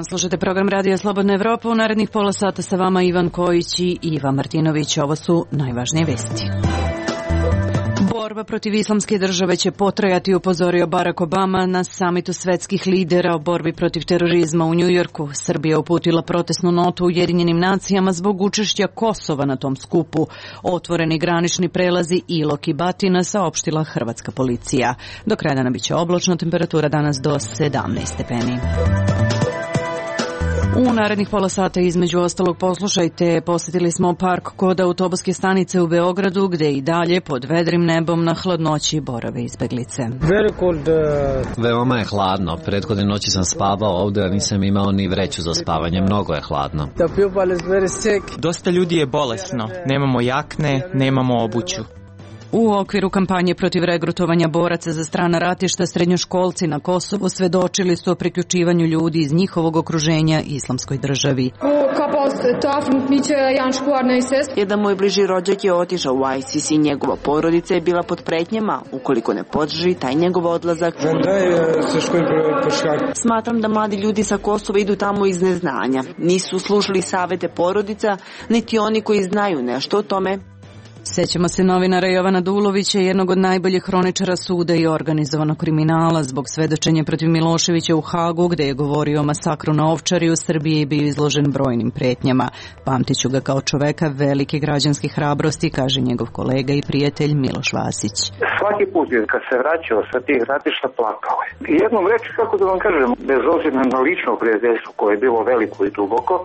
Slušate program Radija Slobodna Evropa. U narednih pola sata sa vama Ivan Kojić i Iva Martinović. Ovo su najvažnije vesti. Borba protiv islamske države će potrajati, upozorio Barack Obama na samitu svetskih lidera o borbi protiv terorizma u Njujorku. Srbija uputila protestnu notu Ujedinjenim nacijama zbog učešća Kosova na tom skupu. Otvoreni granični prelazi Ilok i Batina, saopštila hrvatska policija. Do kraja dana biće oblačno, temperatura danas do 17 stepeni. U narednih pola sata između ostalog poslušajte, posjetili smo park kod autobuske stanice u Beogradu gde i dalje pod vedrim nebom na hladnoći borave izbeglice. Veoma je hladno. Prethodne noći sam spavao ovde, a nisam imao ni vreću za spavanje. Mnogo je hladno. Dosta ljudi je bolesno. Nemamo jakne, nemamo obuću. U okviru kampanje protiv regrutovanja boraca za strana ratišta, srednjoškolci na Kosovu svedočili su o priključivanju ljudi iz njihovog okruženja islamskoj državi. Jedan moj bliži rođak je otišao u ISIS i njegova porodica je bila pod pretnjama. Ukoliko ne podrži taj njegov odlazak. Smatram da mladi ljudi sa Kosova idu tamo iz neznanja. Nisu slušali savete porodica, niti oni koji znaju nešto o tome. Sećamo se novinara Jovana Dulovića, jednog od najboljih hroničara suda i organizovanog kriminala, zbog svedočenja protiv Miloševića u Hagu, gde je govorio o masakru na Ovčari u Srbiji i bio izložen brojnim pretnjama. Pamtiću ga kao čoveka velike građanske hrabrosti, kaže njegov kolega i prijatelj Miloš Vasić. Svaki put kad se vraćao sa tih ratišta plakao je. Jednom reči, kako da vam kažem, bez obzira na lično prijateljstvo koje je bilo veliko i duboko,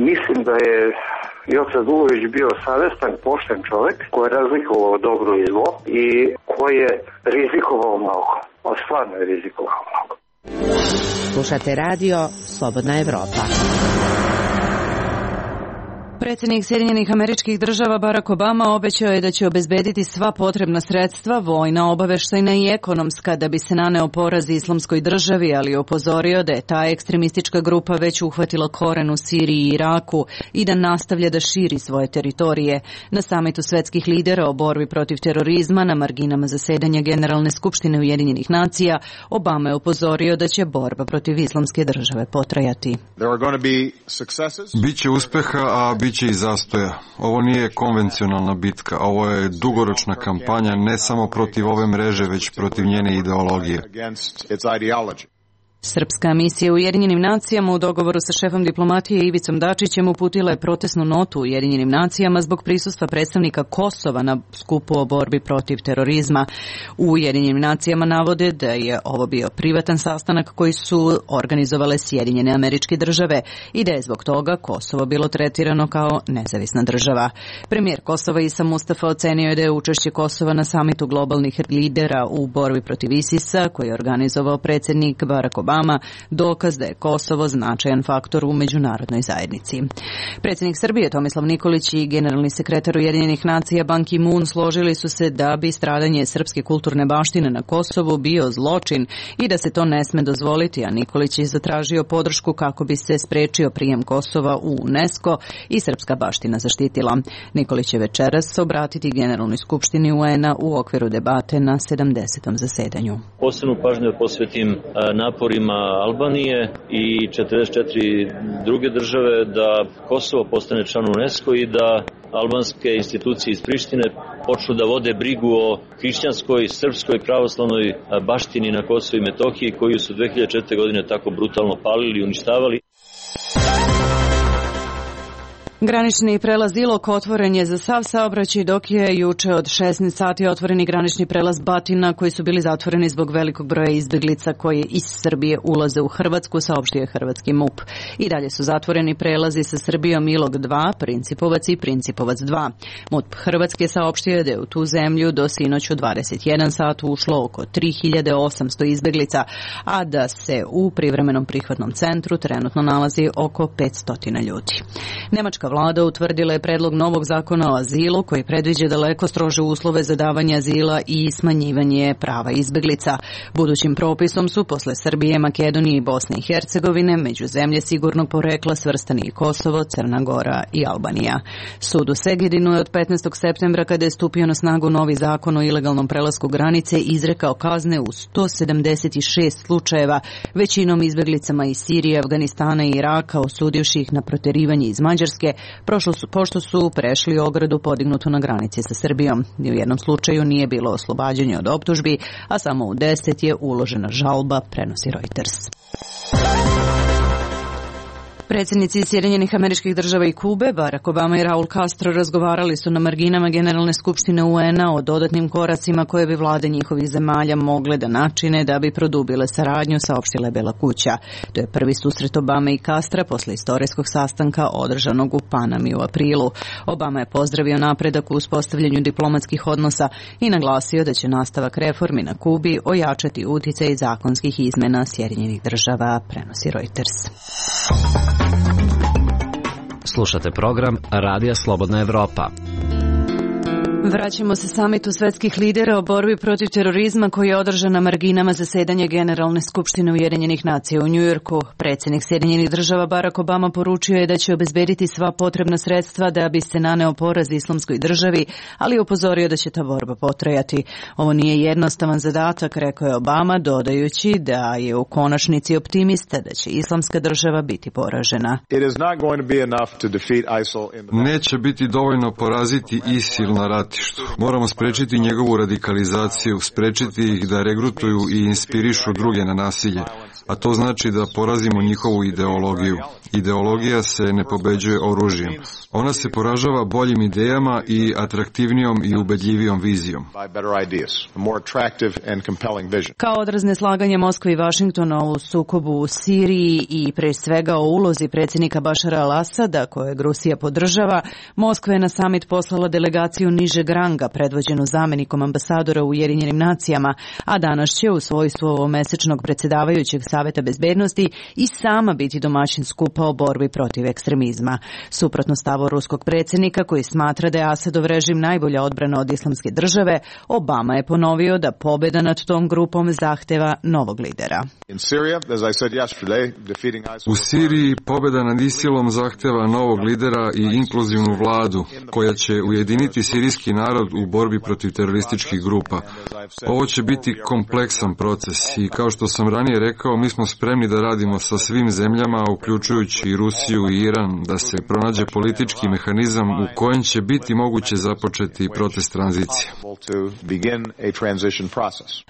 mislim da je Joca Dulović bio savestan, pošten čovjek koji je razlikovao dobro i zlo i koji je rizikovao mnogo. Stvarno je rizikovao mnogo. Slušate radio Slobodna Evropa. Predsjednik Sjedinjenih Američkih Država Barack Obama obećao je da će obezbediti sva potrebna sredstva, vojna, obaveštajna i ekonomska, da bi se naneo poraz islamskoj državi, ali upozorio da je ta ekstremistička grupa već uhvatila koren u Siriji i Iraku i da nastavlja da širi svoje teritorije. Na samitu svetskih lidera o borbi protiv terorizma na marginama zasedanja Generalne skupštine Ujedinjenih nacija, Obama je upozorio da će borba protiv islamske države potrajati. Biće uspeha, a biće i zastoja. Ovo nije konvencionalna bitka, ovo je dugoročna kampanja ne samo protiv ove mreže, već protiv njene ideologije. Srpska misija u Ujedinjenim nacijama u dogovoru sa šefom diplomatije Ivicom Dačićem uputila je protestnu notu u Ujedinjenim nacijama zbog prisustva predstavnika Kosova na skupu o borbi protiv terorizma. U Ujedinjenim nacijama navode da je ovo bio privatan sastanak koji su organizovale Sjedinjene Američke Države i da je zbog toga Kosovo bilo tretirano kao nezavisna država. Premijer Kosova Isa Mustafa ocenio je da je učešće Kosova na samitu globalnih lidera u borbi protiv ISIS-a, koji je organizovao predsjednik Barack Obama, dokaz da je Kosovo značajan faktor u međunarodnoj zajednici. Predsjednik Srbije Tomislav Nikolić i generalni sekretar Ujedinjenih nacija Ban Ki-moon složili su se da bi stradanje srpske kulturne baštine na Kosovu bio zločin i da se to ne sme dozvoliti, a Nikolić je zatražio podršku kako bi se sprečio prijem Kosova u UNESCO i srpska baština zaštitila. Nikolić će večeras obratiti Generalnoj skupštini UN-a u okviru debate na 70. zasedanju. Posebnu pažnju posvetim naporima Albanije i 44 druge države da Kosovo postane član UNESCO i da albanske institucije iz Prištine počnu da vode brigu o hrišćanskoj, srpskoj, pravoslavnoj baštini na Kosovu i Metohiji koju su 2004. godine tako brutalno palili i uništavali. Granični prelaz Ilok otvoren je za sav saobraćaj, dok je juče od 16 sati otvoreni granični prelaz Batina, koji su bili zatvoreni zbog velikog broja izbeglica koje iz Srbije ulaze u Hrvatsku, saopštio je hrvatski MUP. I dalje su zatvoreni prelazi sa Srbijom Ilok 2, Principovac i Principovac 2. MUP Hrvatske saopštio je da je u tu zemlju do sinoć u 21 sat ušlo oko 3800 izbeglica, a da se u privremenom prihvatnom centru trenutno nalazi oko 500 ljudi. Nemačka vlada utvrdila je predlog novog zakona o azilu koji predviđa daleko strože uslove za davanje azila i smanjivanje prava izbeglica. Budućim propisom su posle Srbije, Makedonije i Bosne i Hercegovine među zemlje sigurnog porekla svrstani i Kosovo, Crna Gora i Albanija. Sud u Segedinu je od 15. septembra, kada je stupio na snagu novi zakon o ilegalnom prelasku granice, izrekao kazne u 176 slučajeva, većinom izbeglicama iz Sirije, Afganistana i Iraka, osudivši ih na proterivanje iz Mađarske, pošto su prešli ogradu podignutu na granici sa Srbijom. Ni u jednom slučaju nije bilo oslobađanje od optužbi, a samo u 10 je uložena žalba, prenosi Reuters. Predsjednici Sjedinjenih Američkih Država i Kube, Barack Obama i Raul Castro, razgovarali su na marginama Generalne skupštine UN-a o dodatnim koracima koje bi vlade njihovih zemalja mogle da načine da bi produbile saradnju, saopštila je Bela kuća. To je prvi susret Obame i Castra posle istorijskog sastanka održanog u Panami u aprilu. Obama je pozdravio napredak u uspostavljanju diplomatskih odnosa i naglasio da će nastavak reformi na Kubi ojačati uticaj zakonskih izmena Sjedinjenih Država, prenosi Reuters. Slušate program Radija Slobodna Evropa. Vraćamo se samitu svetskih lidera o borbi protiv terorizma koji je održan na marginama zasedanja Generalne skupštine Ujedinjenih nacija u Njujorku. Predsjednik Sjedinjenih Država Barack Obama poručio je da će obezbediti sva potrebna sredstva da bi se naneo poraz Islamskoj državi, ali je upozorio da će ta borba potrajati. Ovo nije jednostavan zadatak, rekao je Obama, dodajući da je u konačnici optimista da će Islamska država biti poražena. Neće biti dovoljno poraziti ISIL na ratištu. Moramo sprečiti njegovu radikalizaciju, sprečiti ih da regrutuju i inspirišu druge na nasilje, a to znači da porazimo njihovu ideologiju. Ideologija se ne pobeđuje oružjem. Ona se poražava boljim idejama i atraktivnijom i ubedljivijom vizijom. Kao odraz neslaganja Moskve i Vašingtona u sukobu u Siriji i pre svega o ulozi predsjednika Bašara al-Asada, kojeg Rusija podržava, Moskva je na samit poslala delegaciju nižeg ranga predvođenu zamenikom ambasadora u Ujedinjenim nacijama, a danas će u svojstvu ovomesečnog predsjedavajućeg Saveta bezbednosti i sama biti domaćin skupa o borbi protiv ekstremizma. Suprotno stavu ruskog predsjednika, koji smatra da je Asadov režim najbolja odbrana od Islamske države, Obama je ponovio da pobjeda nad tom grupom zahteva novog lidera. U Siriji pobjeda nad ISIL-om zahteva novog lidera i inkluzivnu vladu koja će ujediniti sirijski narod u borbi protiv terorističkih grupa. Ovo će biti kompleksan proces i kao što sam ranije rekao, mi smo spremni da radimo sa svim zemljama, uključujući i Rusiju i Iran, da se pronađe politički mehanizam u kojem će biti moguće započeti proces tranzicije.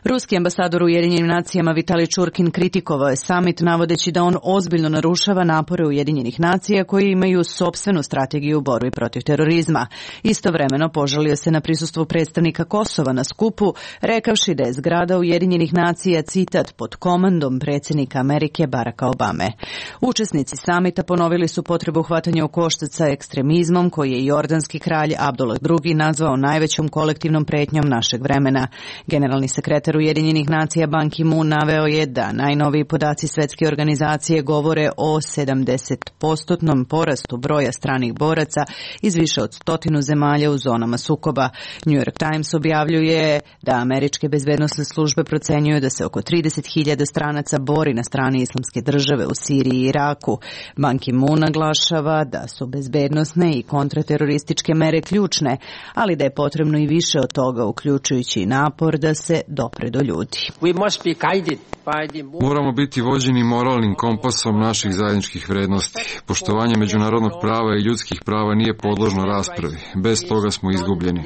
Ruski ambasador u Ujedinjenim nacijama Vitalij Čurkin kritikovao je samit navodeći da on ozbiljno narušava napore Ujedinjenih nacija koji imaju sopstvenu strategiju u borbi protiv terorizma. Istovremeno požalio se na prisustvu predstavnika Kosova na skupu, rekavši da je zgrada Ujedinjenih nacija, citat, pod komandom predsjednika Amerike Baracka Obame. Učesnici samita ponovili su potrebu hvatanja u koštac sa ekstremizmom koji je jordanski kralj Abdullah II nazvao najvećom kolektivnom pretnjom našeg vremena. Generalni sekretar Ujedinjenih nacija Ban Ki-moon naveo je da najnoviji podaci Svetske organizacije govore o 70% porastu broja stranih boraca iz više od 100 zemalja u zonama sukoba. New York Times objavljuje da američke bezbednosne službe procenjuju da se oko 30.000 stranaca bori na strani Islamske države u Siriji i Iraku. Ban Ki-moon naglašava da su bezbednosne i kontraterorističke mere ključne, ali da je potrebno i više od toga, uključujući i napor da se dopre do ljudi. Moramo biti vođeni moralnim kompasom naših zajedničkih vrednosti. Poštovanje međunarodnog prava i ljudskih prava nije podložno raspravi. Bez toga smo izgubljeni.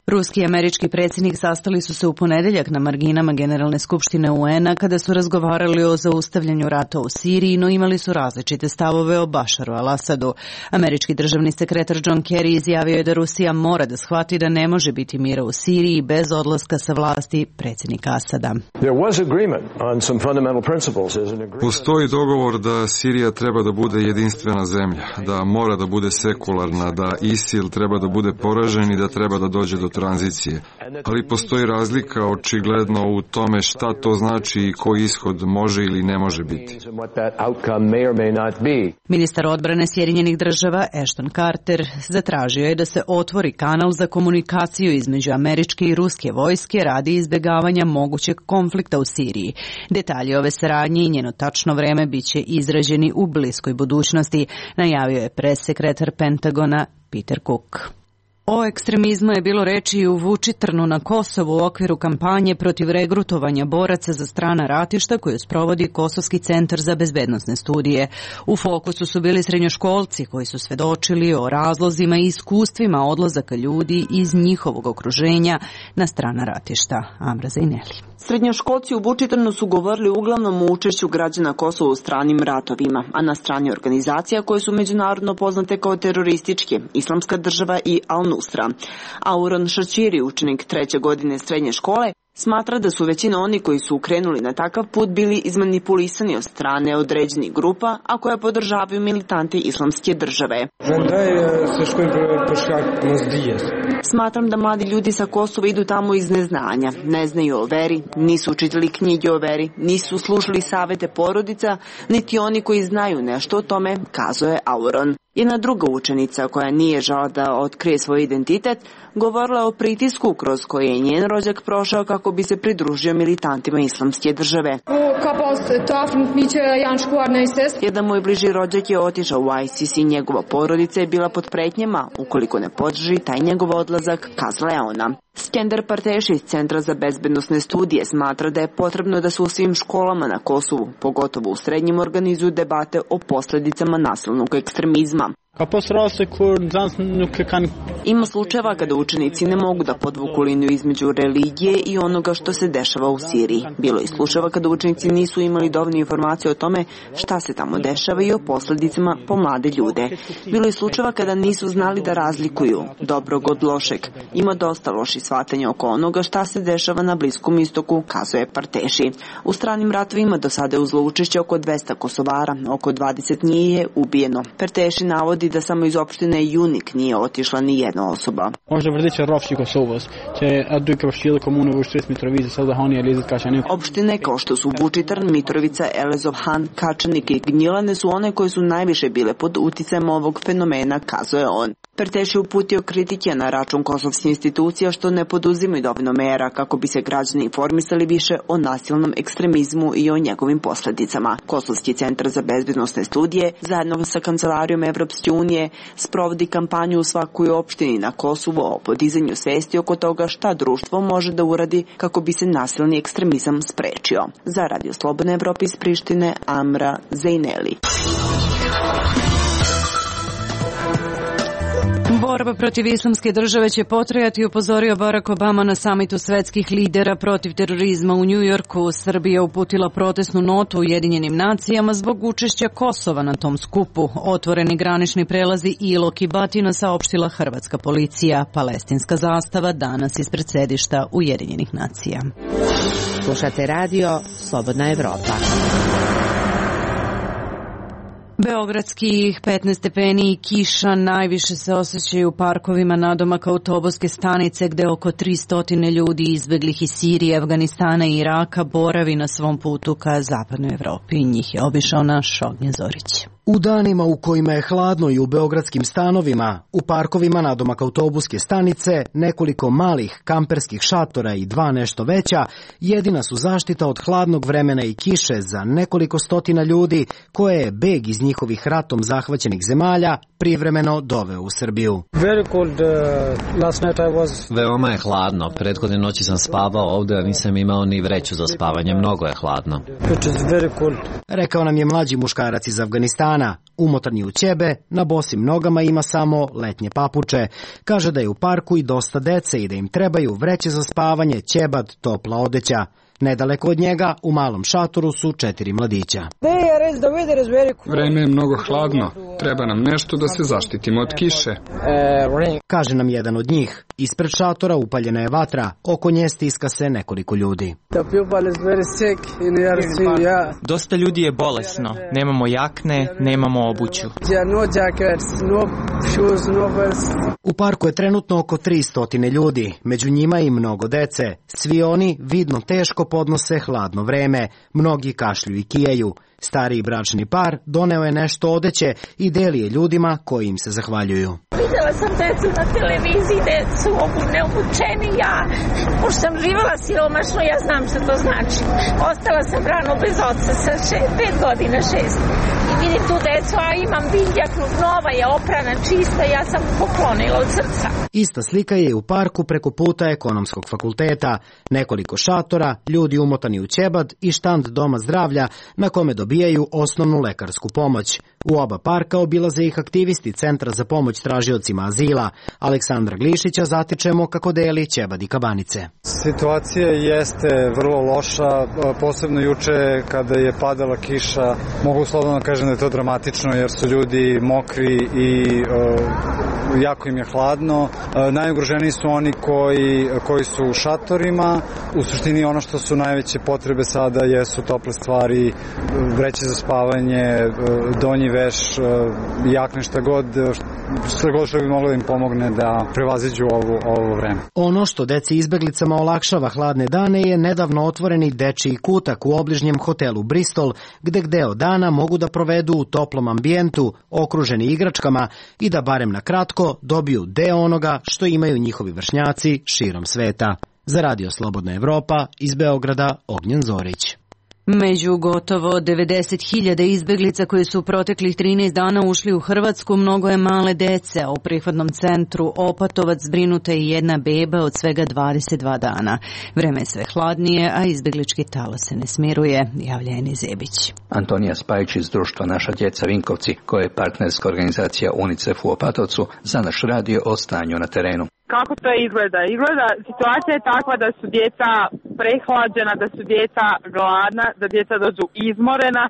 Ruski i američki predsjednik sastali su se u ponedeljak na marginama Generalne skupštine UN-a kada su razgovarali o zaustavljanju rata u Siriji, no imali su različite stavove o Bašaru al-Asadu. Američki državni sekretar John Kerry izjavio je da Rusija mora da shvati da ne može biti mira u Siriji bez odlaska sa vlasti predsjednika Asada. Postoji dogovor da Sirija treba da bude jedinstvena zemlja, da mora da bude sekularna, da ISIL treba da bude poražen i da treba da dođe do tranzicije, ali postoji razlika očigledno u tome šta to znači i koji ishod može ili ne može biti. Ministar odbrane Sjedinjenih država Ashton Carter zatražio je da se otvori kanal za komunikaciju između američke i ruske vojske radi izbjegavanja mogućeg konflikta u Siriji. Detalji ove saradnje i njeno tačno vreme biće izrađeni u bliskoj budućnosti, najavio je pressekretar Pentagona Peter Cook. O ekstremizmu je bilo reči i u Vučitrnu na Kosovu u okviru kampanje protiv regrutovanja boraca za strana ratišta koju sprovodi Kosovski centar za bezbednosne studije. U fokusu su bili srednjoškolci koji su svedočili o razlozima i iskustvima odlazaka ljudi iz njihovog okruženja na strana ratišta. Amra Zajneli. Srednjoškolci u Vučitrnu su govorili uglavnom o učešću građana Kosova u stranim ratovima, a na strani organizacija koje su međunarodno poznate kao terorističke, Islamska država i Al-Nusra. Auron Šačiri, učenik 3. godine srednje škole, smatra da su većina oni koji su krenuli na takav put bili izmanipulisani od strane određenih grupa, a koje podržavaju militanti Islamske države. Smatram da mladi ljudi sa Kosova idu tamo iz neznanja, ne znaju o veri, nisu učitali knjige o veri, nisu slušali savete porodica, niti oni koji znaju nešto o tome, kazuje Auron. Jedna druga učenica koja nije žala da otkrije svoj identitet, govorila o pritisku kroz koji je njen rođak prošao kako bi se pridružio militantima Islamske države. Jedan moj bliži rođak je otišao u ISIS i njegova porodica je bila pod pretnjama, ukoliko ne podrži taj njegov odlazak, kazala je ona. Skender Parteši iz Centra za bezbednosne studije smatra da je potrebno da se u svim školama na Kosovu, pogotovo u srednjim, organizuju debate o posljedicama nasilnog ekstremizma. Ima slučajeva kada učenici ne mogu da podvuku liniju između religije i onoga što se dešava u Siriji. Bilo je slučajeva kada učenici nisu imali dovoljne informacije o tome šta se tamo dešava i o posljedicama po mlade ljude. Bilo je slučajeva kada nisu znali da razlikuju dobrog od lošeg. Ima dosta loših shvatanja oko onoga šta se dešava na Bliskom istoku, kazuje Parteši. U stranim ratovima do sada je uzelo učešće oko 200 Kosovara, oko 20 njih je ubijeno. Parteši navodi da samo iz opštine Junik nije otišla ni jedna osoba. Opštine kao što su Vučitrn, Mitrovica, Elezovhan, Kačanik i Gnjilane su one koje su najviše bile pod uticajem ovog fenomena, kazuje on. Parteši uputio kritike na račun kosovskih institucija što ne poduzimaju dovoljno mera kako bi se građani informisali više o nasilnom ekstremizmu i o njegovim posljedicama. Kosovski centar za bezbednosne studije zajedno sa Kancelarijom Evropske unije sprovodi kampanju u svakoj opštini na Kosovu o podizanju svesti oko toga šta društvo može da uradi kako bi se nasilni ekstremizam sprečio. Za Radio Slobodna Evropa iz Prištine, Amra Zajneli. Borba protiv Islamske države će potrajati, upozorio Barack Obama na samitu svetskih lidera protiv terorizma u Njujorku. Srbija uputila protestnu notu Ujedinjenim nacijama zbog učešća Kosova na tom skupu. Otvoreni granični prelazi Ilok i Batina, saopštila hrvatska policija. Palestinska zastava danas ispred sedišta Ujedinjenih nacija. Slušate radio Slobodna Evropa. Beogradskih 15 stepeni i kiša najviše se osjećaju u parkovima nadomak autobuske stanice gde oko 300 ljudi izbeglih iz Sirije, Afganistana i Iraka boravi na svom putu ka zapadnoj Evropi. Njih je obišao naš Ognjen Zorić. U danima u kojima je hladno i u beogradskim stanovima, u parkovima nadomak autobuske stanice, nekoliko malih kamperskih šatora i 2 nešto veća, jedina su zaštita od hladnog vremena i kiše za nekoliko stotina ljudi koje je beg iz njihovih ratom zahvaćenih zemalja privremeno doveo u Srbiju. Veoma je hladno. Prethodne noći sam spavao ovde, a nisam imao ni vreću za spavanje. Mnogo je hladno. Rekao nam je mlađi muškarac iz Afganistana. Umotan je u ćebe, na bosim nogama ima samo letnje papuče. Kaže da je u parku i dosta dece i da im trebaju vreće za spavanje, ćebad, topla odeća. Nedaleko od njega, u malom šatoru, su 4 mladića. Vreme je mnogo hladno. Treba nam nešto da se zaštitimo od kiše. Kaže nam jedan od njih. Ispred šatora upaljena je vatra, oko nje stiska se nekoliko ljudi. Dosta ljudi je bolesno, nemamo jakne, nemamo obuću. U parku je trenutno oko 300 ljudi, među njima i mnogo dece. Svi oni vidno teško podnose hladno vreme, mnogi kašlju i kijaju. Stariji bračni par doneo je nešto odeće i deli je ljudima koji im se zahvaljuju. Videla sam decu na televiziji, decu neobučeni, pošto sam živala siromašno, ja znam što to znači. Ostala sam rano bez oca sa 5 godina, 6. I vidim tu decu, a imam biljak, nova je oprana, čista, ja sam poklonila od srca. Ista slika je u parku preko puta Ekonomskog fakulteta. Nekoliko šatora, ljudi umotani u ćebad i štand Doma zdravlja na kome dobijaju osnovnu lekarsku pomoć. U oba parka obilaze ih aktivisti Centra za pomoć tražiocima azila. Aleksandra Glišića zatičemo kako deli ćebad i kabanice. Situacija jeste vrlo loša, posebno juče kada je padala kiša. Mogu slobodno kažem da je to dramatično jer su ljudi mokri i jako im je hladno. Najugroženiji su oni koji su u šatorima. U suštini ono što su najveće potrebe sada jesu tople stvari, vreće za spavanje, donji veš, jakne, šta god što bi moglo da im pomogne da prevaziđu ovo vreme. Ono što deci izbeglicama olakšava hladne dane je nedavno otvoreni dečiji kutak u obližnjem hotelu Bristol, gde deo dana mogu da provedu u toplom ambijentu, okruženi igračkama i da barem na kratko dobiju deo onoga što imaju njihovi vršnjaci širom sveta. Za Radio Slobodna Evropa iz Beograda, Ognjen Zorić. Među gotovo 90.000 izbeglica koji su u proteklih 13 dana ušli u Hrvatsku mnogo je male dece, a u prihvatnom centru Opatovac zbrinuta je jedna beba od svega 22 dana. Vreme je sve hladnije, a izbeglički talas se ne smiruje, javlja Eni Zebić. Antonija Spajić iz društva Naša djeca Vinkovci, koja je partnerska organizacija UNICEF u Opatovcu, za naš radio o stanju na terenu. Kako to izgleda? Situacija je takva da su djeca prehlađena, da su djeca gladna, da djeca dođu izmorena,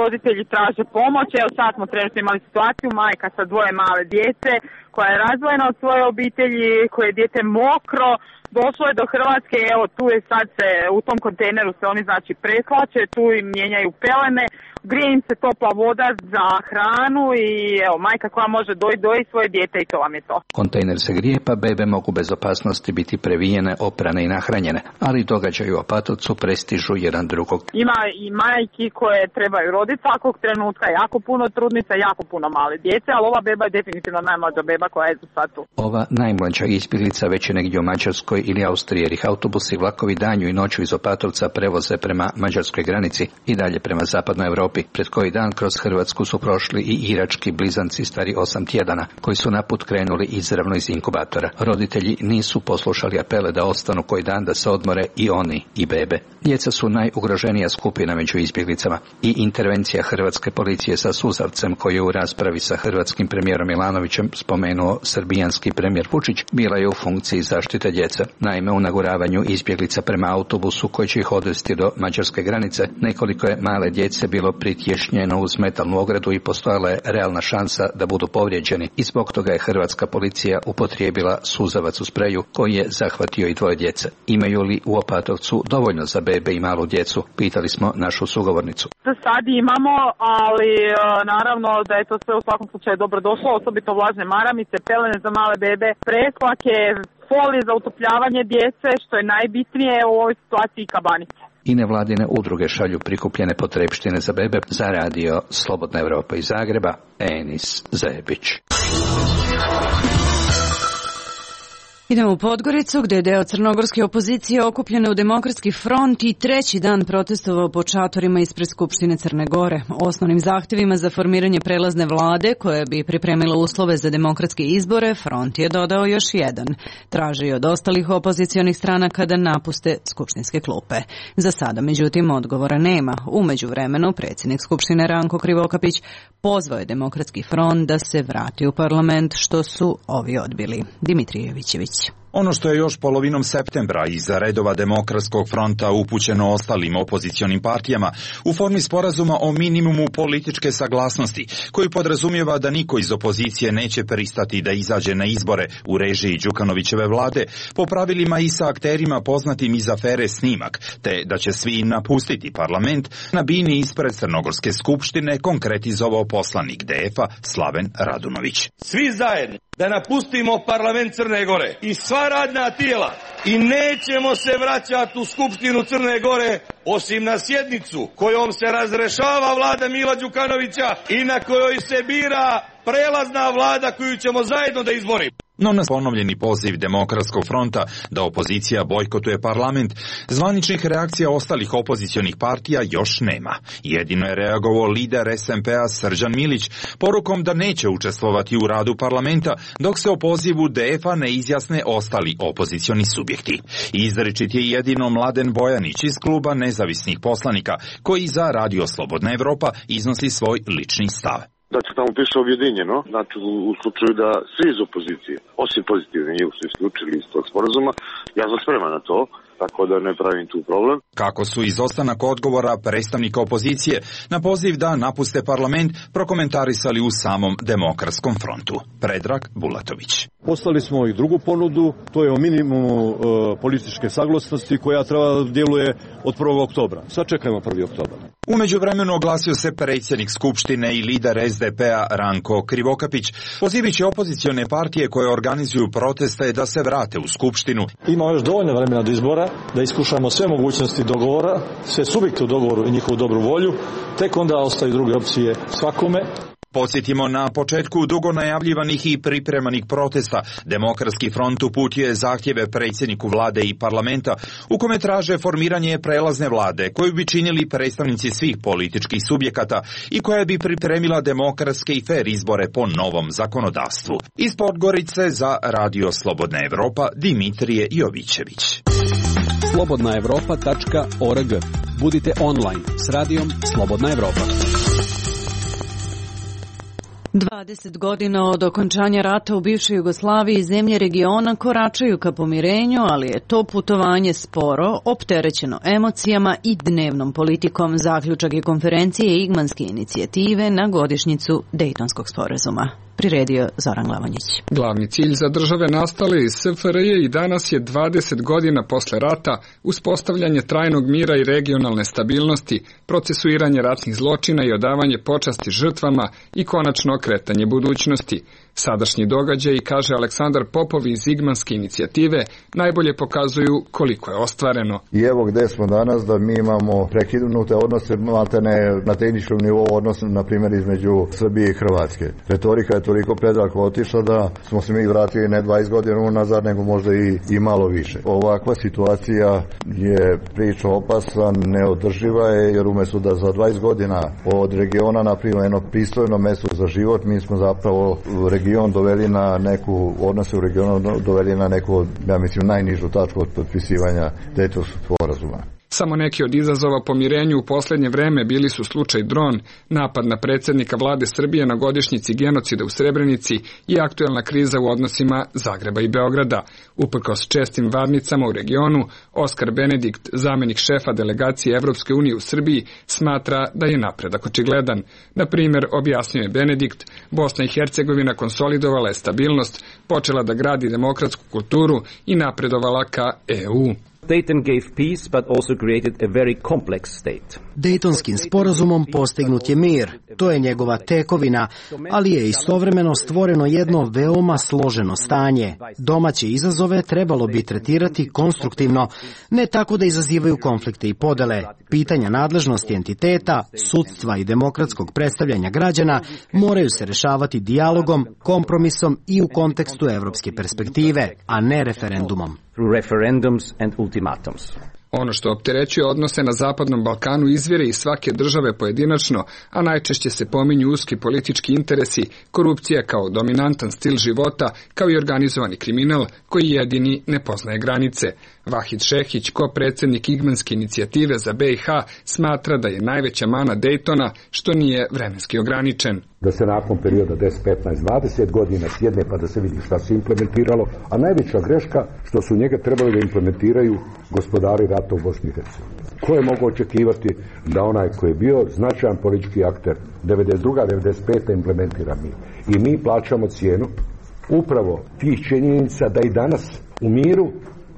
roditelji traže pomoć. Evo sad smo trenutno imali situaciju, majka sa 2 male djece koja je razdvojena od svoje obitelji, koje je dijete mokro, došlo je do Hrvatske, evo tu je sad se, u tom kontejneru se oni znači prehlače, tu im mijenjaju pelene, grije im se topla voda za hranu i evo majka koja može doji svoje dijete i to vam je to. Kontejner se grije pa bebe mogu bez opasnosti biti previjene, oprane i nahranjene, ali događaju u Opatovcu prestižu jedan drugog. Ima i majki koje trebaju roditi svakog trenutka, jako puno trudnica, jako puno male djece, ali ova beba je definitivno najmlađa beba koja je sad tu. Ova najmlađa izbjeglica već je negdje u Mađarskoj ili Austriji, jer ih autobusi i vlakovi danju i noću iz Opatovca prevoze prema mađarskoj granici i dalje prema zapadnoj Europi. Pred koji dan kroz Hrvatsku su prošli i irački blizanci stari 8 tjedana, koji su na put krenuli izravno iz inkubatora. Roditelji nisu poslušali apele da ostanu koji dan da se odmore i oni i bebe. Djeca su najugroženija skupina među izbjeglicama i intervencija hrvatske policije sa suzavcem, koji je u raspravi sa hrvatskim premijerom Milanovićem spomenuo srbijanski premijer Vučić, bila je u funkciji zaštite djece. Naime, u naguravanju izbjeglica prema autobusu koji će ih odvesti do mađarske granice, nekoliko je male djece bilo pritješnjeno uz metalnu ogradu i postojala je realna šansa da budu povrijeđeni i zbog toga je hrvatska policija upotrijebila suzavac u spreju koji je zahvatio i 2 djece. Imaju li u Opatovcu dovoljno za bebe i malu djecu? Pitali smo našu sugovornicu. Sad imamo, ali naravno da je to sve u svakom slučaju dobro došlo, osobito vlažne maramice, pelene za male bebe, preslake, folije za utopljavanje djece, što je najbitnije u ovoj situaciji, kabanice. I nevladine udruge šalju prikupljene potrepštine za bebe. Za radio Slobodna Evropa iz Zagreba, Enis Zebić. Idemo u Podgoricu, gdje je deo crnogorske opozicije okupljene u Demokratski front i 3. dan protestovao po šatorima ispred Skupštine Crne Gore. Osnovnim zahtjevima za formiranje prelazne vlade, koja bi pripremila uslove za demokratske izbore, front je dodao još jedan. Traži od ostalih opozicionih stranaka da napuste skupštinske klupe. Za sada, međutim, odgovora nema. U međuvremenu, predsjednik Skupštine Ranko Krivokapić pozvao je Demokratski front da se vrati u parlament, što su ovi odbili. Dimitrije Vićević. Ono što je još polovinom septembra iza redova Demokratskog fronta upućeno ostalim opozicionim partijama u formi sporazuma o minimumu političke saglasnosti, koji podrazumijeva da niko iz opozicije neće pristati da izađe na izbore u režiji Đukanovićeve vlade po pravilima i sa akterima poznatim iz afere Snimak, te da će svi napustiti parlament, na bini ispred Crnogorske skupštine konkretizovao poslanik DF-a Slaven Radunović. Svi zajedno da napustimo parlament Crne Gore i sva radna tijela i nećemo se vraćati u Skupštinu Crne Gore osim na sjednicu kojom se razrešava vlada Mila Đukanovića i na kojoj se bira prelazna vlada koju ćemo zajedno da izborimo. No na ponovljeni poziv Demokratskog fronta da opozicija bojkotuje parlament, zvaničnih reakcija ostalih opozicionih partija još nema. Jedino je reagovao lider SMP-a Srđan Milić porukom da neće učestvovati u radu parlamenta dok se o pozivu DF-a ne izjasne ostali opozicioni subjekti. Izričit je jedino Mladen Bojanić iz kluba nezavisnih poslanika koji za Radio Slobodna Evropa iznosi svoj lični stav. Znači, tamo piše objedinjeno, znači u slučaju da svi iz opozicije, osim pozitivne njih su isključili iz tog sporazuma, ja sam spreman na to, tako da ne pravim tu problem. Kako su izostanak odgovora predstavnika opozicije na poziv da napuste parlament prokomentarisali u samom Demokratskom frontu. Predrag Bulatović. Poslali smo i drugu ponudu, to je o minimumu političke saglasnosti koja treba da djeluje od 1. oktobra. Sad čekajmo 1. oktobar. U međuvremenu oglasio se predsjednik Skupštine i lider SDP-a Ranko Krivokapić, pozivajući opozicione partije koje organizuju proteste da se vrate u Skupštinu. Ima još dovoljno vremena do izbora da iskušamo sve mogućnosti dogovora, sve subjekte u dogovoru i njihovu dobru volju, tek onda ostaju druge opcije svakome. Podsjetimo, na početku dugo najavljivanih i pripremanih protesta Demokratski front uputio je zahtjeve predsjedniku vlade i parlamenta u kome traže formiranje prelazne vlade koju bi činili predstavnici svih političkih subjekata i koja bi pripremila demokratske i fer izbore po novom zakonodavstvu. Iz Podgorice za Radio Slobodna Evropa Dimitrije Jovićević. slobodnaevropa.org. Budite online s radijom Slobodna Evropa. 20 godina od okončanja rata u bivšoj Jugoslaviji zemlje regiona koračaju ka pomirenju, ali je to putovanje sporo, opterećeno emocijama i dnevnom politikom. Zaključak je konferencije Igmanske inicijative na godišnjicu Dejtonskog sporazuma. Priredio Zoran Glavonjić. Glavni cilj za države nastale iz SFRJ i danas je 20 godina posle rata uspostavljanje trajnog mira i regionalne stabilnosti, procesuiranje ratnih zločina i odavanje počasti žrtvama i konačno okretanje budućnosti. Sadašnji događaj, kaže Aleksandar Popov iz Igmanske inicijative, najbolje pokazuju koliko je ostvareno. I evo gde smo danas, da mi imamo prekinute odnose, maltene na tehničkom nivou odnos, na primjer, između Srbije i Hrvatske. Retorika je toliko predaleko otišla da smo se mi vratili ne 20 godina unazad, nego možda i malo više. Ovakva situacija je priča opasna, neodrživa je, jer umjesto da za 20 godina od regiona napravimo jedno pristojno mesto za život, mi smo zapravo region doveli na neku, odnose u regionu doveli na neku, ja mislim, najnižu tačku od potpisivanja Dejtonskog sporazuma. Samo neki od izazova pomirenju u posljednje vreme bili su slučaj Dron, napad na predsjednika vlade Srbije na godišnjici genocida u Srebrenici i aktuelna kriza u odnosima Zagreba i Beograda. Uprkos čestim varnicama u regionu, Oskar Benedikt, zamjenik šefa delegacije Evropske unije u Srbiji, smatra da je napredak očigledan. Na primjer, objasnio je Benedikt, Bosna i Hercegovina konsolidovala je stabilnost, počela da gradi demokratsku kulturu i napredovala ka EU. Dayton gave peace, but also created a very complex state. Dejtonskim sporazumom postignut je mir, to je njegova tekovina, ali je istovremeno stvoreno jedno veoma složeno stanje. Domaće izazove trebalo bi tretirati konstruktivno, ne tako da izazivaju konflikte i podele. Pitanja nadležnosti entiteta, sudstva i demokratskog predstavljanja građana moraju se rešavati dijalogom, kompromisom i u kontekstu evropske perspektive, a ne referendumom. Referendums and ultimatums. Ono što opterećuje odnose na Zapadnom Balkanu izvire iz svake države pojedinačno, a najčešće se pominju uski politički interesi, korupcija kao dominantan stil života, kao i organizovani kriminal koji jedini ne poznaje granice. Vahid Šehić, ko-predsjednik Igmanske inicijative za BiH, smatra da je najveća mana Dejtona što nije vremenski ograničen. Da se nakon perioda 10, 15, 20 godina sjedne pa da se vidi šta se implementiralo, a najveća greška što su njega trebali da implementiraju gospodari rata u Bosni i Hercegovini. Ko je mogao očekivati da onaj koji je bio značajan politički akter 92. 95. implementira mi. I mi plaćamo cijenu upravo tih činjenica da i danas u miru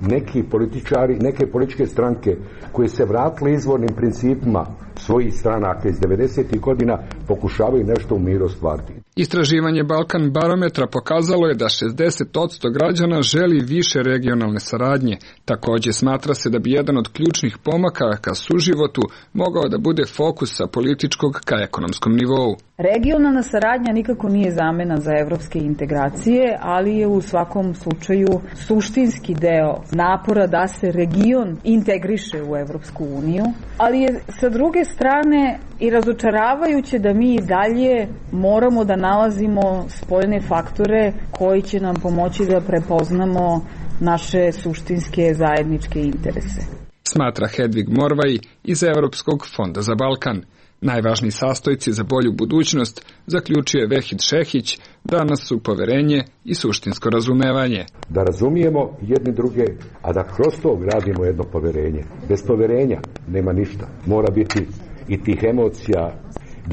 neki političari, neke političke stranke koje se vratile izvornim principima svojih stranaka iz 90. godina pokušavaju nešto u miru ostvariti. Istraživanje Balkan barometra pokazalo je da 60% građana želi više regionalne saradnje. Također smatra se da bi jedan od ključnih pomaka ka suživotu mogao da bude fokus sa političkog ka ekonomskom nivou. Regionalna saradnja nikako nije zamena za evropske integracije, ali je u svakom slučaju suštinski deo napora da se region integriše u Evropsku uniju, ali je sa druge strane i razočaravajuće da mi i dalje moramo da nalazimo spoljne faktore koji će nam pomoći da prepoznamo naše suštinske zajedničke interese. Smatra Hedvig Morvaj iz Evropskog fonda za Balkan. Najvažniji sastojci za bolju budućnost, zaključio je Vahid Šehić, danas su poverenje i suštinsko razumevanje. Da razumijemo jedni druge, a da kroz to gradimo jedno poverenje. Bez poverenja nema ništa. Mora biti i tih emocija,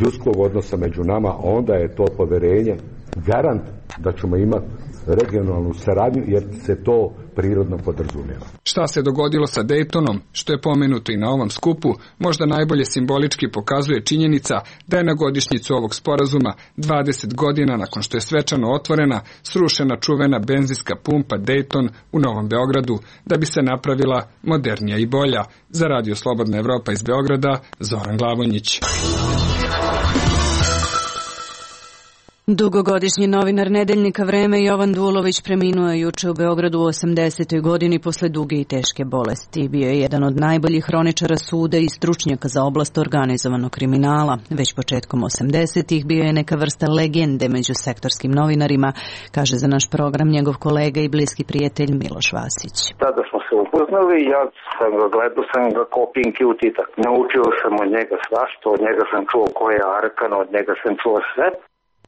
ljudskog odnosa među nama, onda je to poverenje garant da ćemo imati regionalnu saradnju, jer se to prirodno podrazumijeva. Šta se dogodilo sa Dejtonom, što je pomenuto i na ovom skupu, možda najbolje simbolički pokazuje činjenica da je na godišnjicu ovog sporazuma 20 godina nakon što je svečano otvorena, srušena čuvena benzinska pumpa Dejton u Novom Beogradu, da bi se napravila modernija i bolja. Za Radio Slobodna Evropa iz Beograda, Zoran Glavonjić. Dugogodišnji novinar Nedeljnika Vreme Jovan Dulović preminuo je juče u Beogradu u 80. godini posle duge i teške bolesti. Bio je jedan od najboljih hroničara suda i stručnjaka za oblast organizovanog kriminala. Već početkom 80. bio je neka vrsta legende među sektorskim novinarima, kaže za naš program njegov kolega i bliski prijatelj Miloš Vasić. Tada smo se upoznali, ja sam ga gledao, sam ga kao Pinky u Titak. Naučio sam od njega svašta, od njega sam čuo ko je Arkan, od njega sam čuo sve.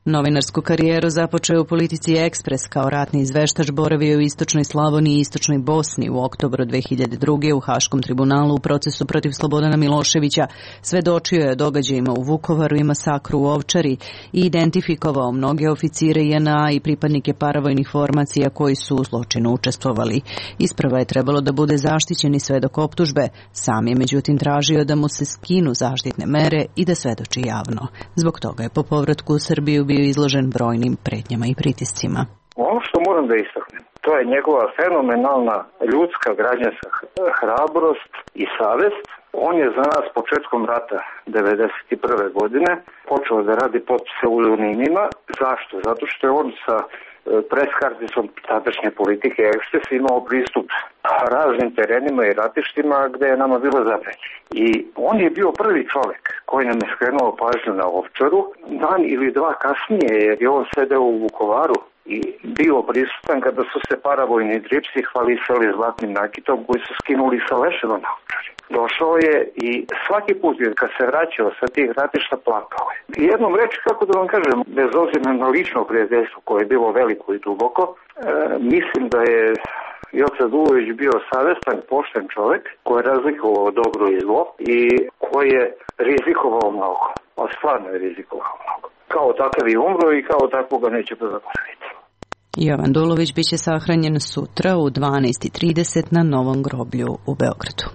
Novinarsku karijeru započeo u politici Ekspres, kao ratni izveštač boravio u istočnoj Slavoniji i istočnoj Bosni. U oktobru 2002. u Haškom tribunalu u procesu protiv Slobodana Miloševića svedočio je događajima u Vukovaru i masakru u Ovčari i identifikovao mnoge oficire JNA i pripadnike paravojnih formacija koji su u zločinu učestvovali. Isprva je trebalo da bude zaštićeni svedok optužbe, sam je međutim tražio da mu se skinu zaštitne mere i da svedoči javno. Zbog toga je po povratku u Srbiju bio izložen brojnim pretnjama i pritiscima. Ono što moram da istaknem, to je njegova fenomenalna ljudska građanska hrabrost i savest. On je za nas početkom rata 1991. godine počeo da radi pod pseudonimima. Zašto? Zato što je on sa preskarticom tadašnje politike Ekspres imao pristup raznim terenima i ratištima gde je nama bilo zabranjeno. I on je bio prvi čovjek koji nam je skrenuo pažnju na Ovčaru dan ili dva kasnije, jer je on sedeo u Vukovaru i bio prisutan kada su se paravojni dripsi hvalisali zlatnim nakitom koji su skinuli sa leševa na Ovčari. Došao je i svaki put kad se vraćao sa tih ratišta plakao je. Jednom reći, kako da vam kažem, bez obzira na lično prijateljstvo koje je bilo veliko i duboko, mislim da je Joca Dulović bio savestan, pošten čovjek koji je razlikovao dobro i zlo i koji je rizikovao mnogo. A stvarno je rizikovao mnogo. Kao takav i umro i kao takvog ga neće zaboraviti. Jovan Dulović biće sahranjen sutra u 12:30 na Novom groblju u Beogradu.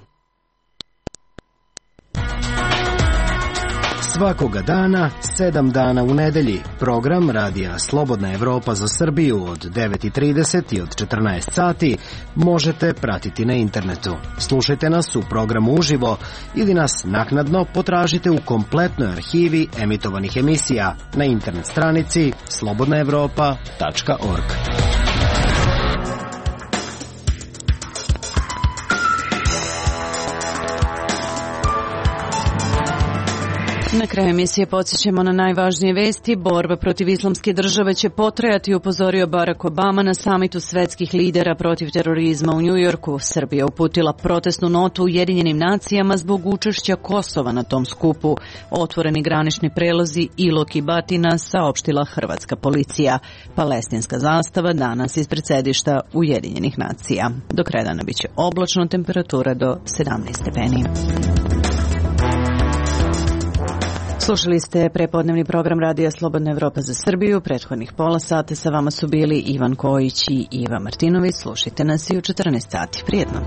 Svakoga dana, 7 dana u nedelji, program Radija Slobodna Evropa za Srbiju od 9:30 i od 14 sati možete pratiti na internetu. Slušajte nas u programu uživo ili nas naknadno potražite u kompletnoj arhivi emitovanih emisija na internet stranici slobodnaevropa.org. Na kraju emisije podsjećamo na najvažnije vesti. Borba protiv islamske države će potrajati, upozorio Barack Obama na samitu svetskih lidera protiv terorizma u Njujorku. Srbija uputila protestnu notu Ujedinjenim nacijama zbog učešća Kosova na tom skupu. Otvoreni granični prelozi Ilok i Batina, saopštila hrvatska policija. Palestinska zastava danas ispred sedišta Ujedinjenih nacija. Do kraja dana biće oblačno, temperatura do 17 stepeni. Slušali ste prepodnevni program Radija Slobodna Evropa za Srbiju. Prethodnih pola sata sa vama su bili Ivan Kojić i Iva Martinović. Slušajte nas i u 14 sati. Prijetno.